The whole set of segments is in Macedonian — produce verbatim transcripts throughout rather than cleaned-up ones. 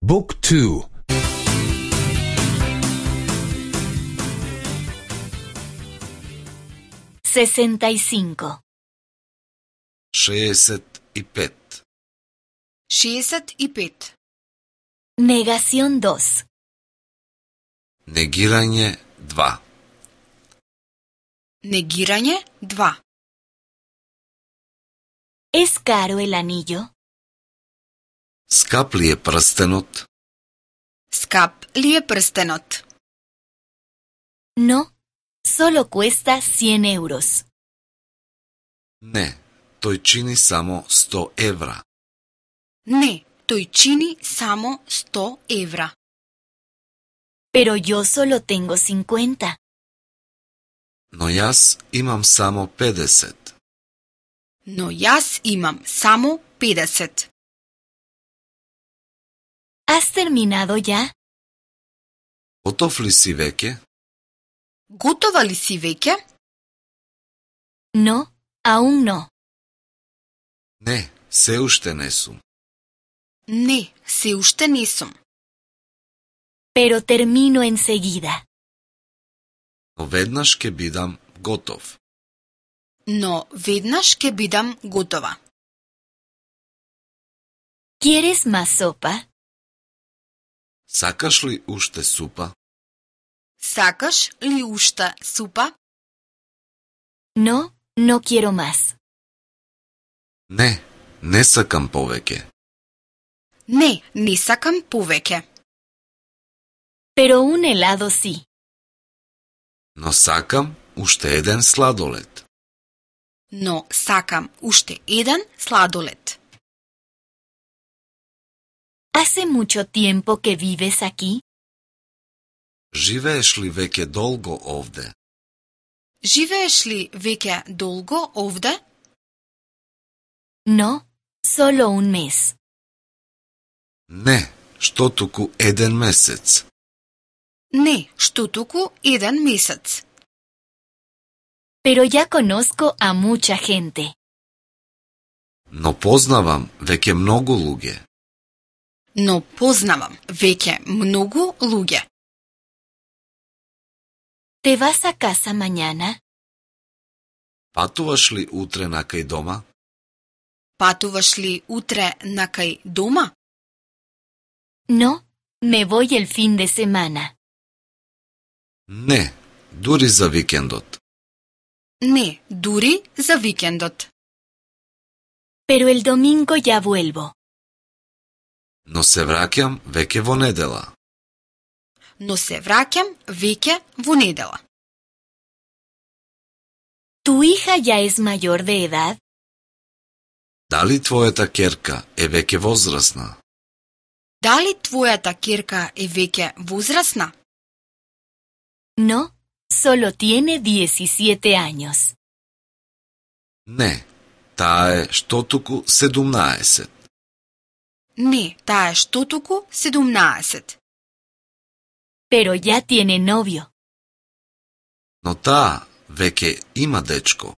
Book two. sesenta y cinco. шеесет и пет. шеесет и пет. Negación dos. Негирање два. Негирање два. ¿Es caro el anillo? Скап ли е прстенот? Скап ли е прстенот? No, solo cuesta cien euros. Не, тој чини само сто евра. Не, тој чини само сто евра. Pero yo solo tengo cincuenta. Но јас имам само педесет. Но јас имам само педесет. ¿Has terminado ya? Готов ли си веќе? Готова ли си веќе? No, aún no. Не, се уште не сум. Не, се уште не сум. Pero termino enseguida. Но веднаш ќе бидам готов. Но веднаш ќе бидам готова. ¿Quieres más sopa? Сакаш ли уште супа? Сакаш ли уште супа? No, no quiero más. Не, не сакам повеќе. Не, не сакам повеќе. Pero un helado sí. Но сакам уште еден сладолед. Но сакам уште еден сладолед. ¿Hace mucho tiempo que vives aquí? Живееш ли веќе долго овде? Живееш ли веќе долго овде? No, solo un mes. Не, што туку еден месец. Не, што туку еден месец. Pero ya conozco a mucha gente. Но познавам веќе многу луѓе. Но познавам веќе многу луѓе. ¿Te vas a casa mañana? Патуваш ли утре накај дома? Патуваш ли утре накај дома? No, me voy el fin de semana. Не, дури за викендот. Не, дури за викендот. Pero el domingo ya vuelvo. Но се враќам веќе во недела. Но се враќам веќе во недела. ¿Tu hija ya es mayor de edad? Дали твојата ќерка е веќе возрасна? Дали твојата ќерка е веќе возрасна? No, solo tiene diecisiete años. Не, таа е што туку седумнаесет. Не, таа е што туку седумнаесет. Pero ya tiene novio. Но таа веќе има дечко.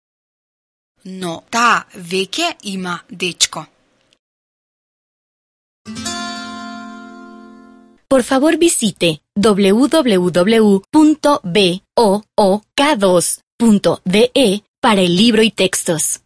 Но таа веќе има дечко. Por favor visite doble u doble u doble u punto book dos punto de para el libro y textos.